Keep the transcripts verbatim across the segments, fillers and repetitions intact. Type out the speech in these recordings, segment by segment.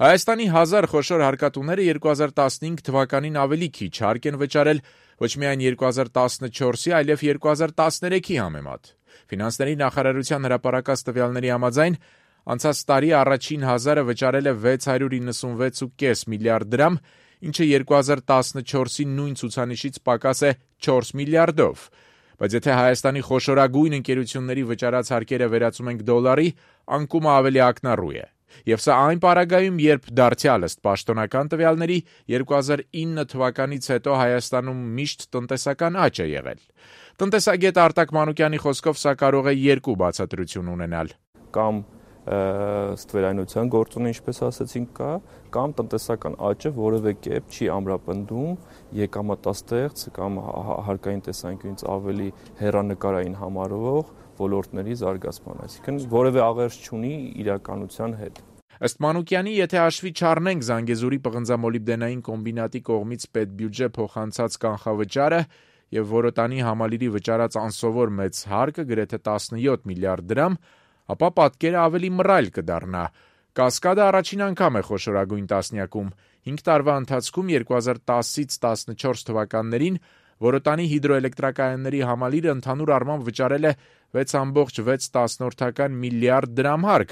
Հայաստանի հազար խոշոր հարկատուները երկու հազար տասնհինգ թվականին ավելի քիչ հարկ են վճարել ոչ միայն երկու հազար տասնչորսի, այլև երկու հազար տասներեքի համեմատ։ Ֆինանսների նախարարության հրապարակած տվյալների համաձայն անցած տարի առաջին հազարը վճարել է վեց հարյուր իննսունվեց կόμμα պենս միլիարդ դրամ, ինչը երկու հազար տասնչորսի նույն ցուցանիշից պակաս է չորս միլիարդով։ Բայց եթե Հայաստանի խոշորագույն ընկերությունների վճարած հարկերը վերածում ենք դոլարի, անկումը ավելի ակնառու է։ Եվ սա այն պարագայում, երբ դարձյալ ըստ պաշտոնական տվյալների երկու հազար ինը թվականից հետո Հայաստանում միշտ տնտեսական աճ է եղել։ Տնտեսագետ Արտակ Մանուկյանի խոսքով սա կարող է երկու բացատրություն ունենալ։ Կամ ստվերայնության գործոնը, ինչպես ասացինք, կա, կամ տնտեսական աճը որևէ կերպ չի ամրապնդում եկամտաստեղծ կամ հարկային տեսանկյունից ավելի հեռանկարային համարվող ոլորտների զարգացման, այսինքն որևէ աղերս չունի իրականության հետ։ Ըստ Մանուկյանի, եթե հաշվի չառնենք Զանգեզուրի պղնձամոլիբդենային կոմբինատի կողմից պետբյուջե փոխանցած կանխավճարը եւ Որոտանի համալիրի վճարած անսովոր մեծ հարկը գրեթե տասնյոթ միլիարդ դրամ, ապա պատկերը ավելի մռայլ կդառնա։ Կասկադը առաջին անգամ է խոշորագույն տասնյակում։ հինգ տարվա ընթացքում երկու հազար տասից տասնչորս թվականներին Որոտանի հիդրոէլեկտրակայանների համալիրը ընդհանուր առմամբ վճարել է վեց կόμma վեց միլիարդ դրամ հարկ,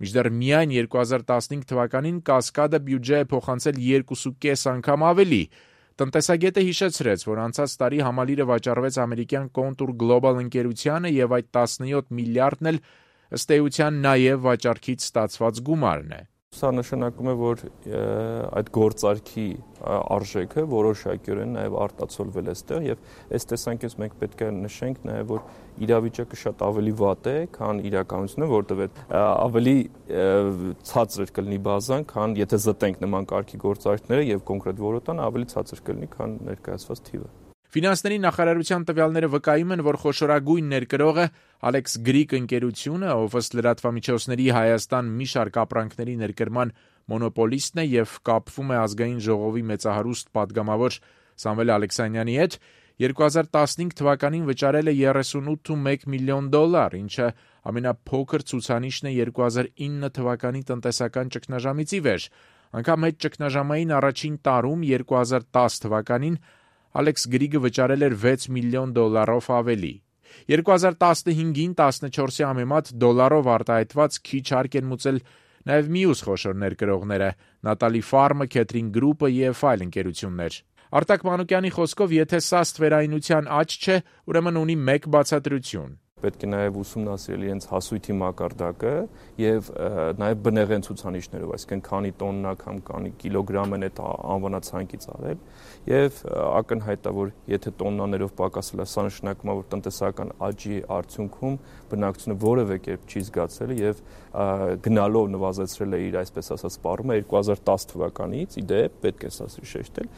մինչդեռ միայն երկու հազար տասնհինգ թվականին կասկադը բյուջե է փոխանցել երկու կόμma պենս անգամ ավելի։ Տնտեսագետը հիշեցրեց, որ անցած տարի համալիրը վաճառվեց ամերիկյան Contour Global ընկերությանը եւ այդ տասնյոթ միլիարդն էլ ըստ էության նաև վաճառքից ստացված գումարն է։ Սա նշանակում է, որ այդ գործարքի արժեքը որոշակիորեն նաև արտացոլվել է այստեղ եւ այս տեսանկյունից մենք պետք է նշենք նաև, որ իրավիճակը շատ ավելի վատ է, քան իրականությունը, որտեղ ավելի ցածր կլինի բազան, քան եթե զտենք նման կարգի գործարքները եւ կոնկրետ Որոտան ավելի ցածր կլինի, քան ներկայացված թիվը։ Ֆինանսների նախարարության տվյալները վկայում են, որ խոշորագույն ներկրողը Alex Greek ընկերությունը, ով ըստ լրատվամիջոցների Հայաստան մի շարք ապրանքների ներկրման մոնոպոլիստն է եւ կապվում է ազգային ժողովի մեծահարուստ падգամավոր Սամվել Ալեքսանյանի հետ, երկու հազար տասնհինգ թվականին վճարել է երեսունութ կόμma մեկ միլիոն դոլար, ինչը ամենափոքր ցուցանիշն է երկու հազար ինը թվականի տնտեսական ճգնաժամից ի վեր։ Անգամ այդ ճգնաժամային առաջին տարում երկու հազար տաս թվականին Alex Greek-ը վճարել էր վեց միլիոն դոլարով ավելի։ երկու հազար տասնհինգին տասնչորսի համեմատ դոլարով արտահայտված քիչ հարկ են մուծել նաև մյուս խոշոր ներկրողները՝ Նատալի Ֆարմը, Քեթրին Գրուպը եւ այլ ընկերություններ։ Արտակ Մանուկյանի խոսքով, եթե սա ստվերայնության աճ չէ, ուրեմն ունի մեկ բացատրություն։ Պետք է նաև ուսումնասիրել իրենց հասույթի մակարդակը եւ նաև բնեղեն ցուցանիշներով, այսինքն քանի տոննա կամ քանի կիլոգրամ են այդ անվանացանկից արել եւ ակնհայտ է, որ եթե տոննաներով պակասել է, սա նշանակում է, որ տնտեսական աճի արդյունքում բնակչությունը որևէ կերպ չի զգացել եւ գնալով նվազեցրել է իր այսպես ասած սպառումը երկու հազար տաս թվականից, ի դեպ պետք է սա շեշտել։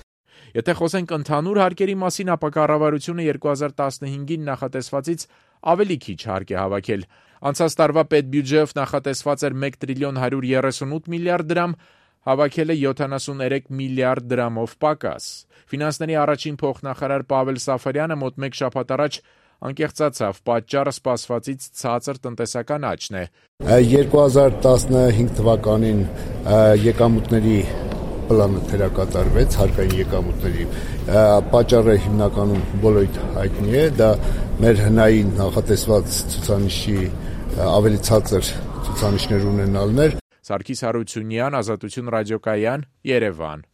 Եթե խոսենք ընդհանուր հարկերի մասին, ապա կառավարությունը երկու հազար տասնհինգին նախատեսվածից ավելի քիչ հարկ է հավաքել։ Անցած տարվա պետբյուջեով նախատեսված էր մեկ տրիլիոն հարյուր երեսունութ միլիարդ դրամ, հավաքել է յոթանասուններեք միլիարդ դրամով պակաս։ Ֆինանսների առաջին փոխնախարար Պավել Սաֆարյանը մոտ մեկ շաբաթ առաջ անկեղծացավ, պատճառը սպասվածից ցածր տնտեսական աճն է։ երկու հազար տասնհինգ թվականին եկամուտների պլանը թերակատարվեց, հարկային եկամուտների պատճառը հիմնականում բոլորիդ հայտնի է, դա մեր հնային նախատեսված ցուցանիշի ավելի ցածր ցուցանիշներ ունենալն էր։ Սարգիս Հարությունյան, Ազատություն ռադիոկայան, Երևան։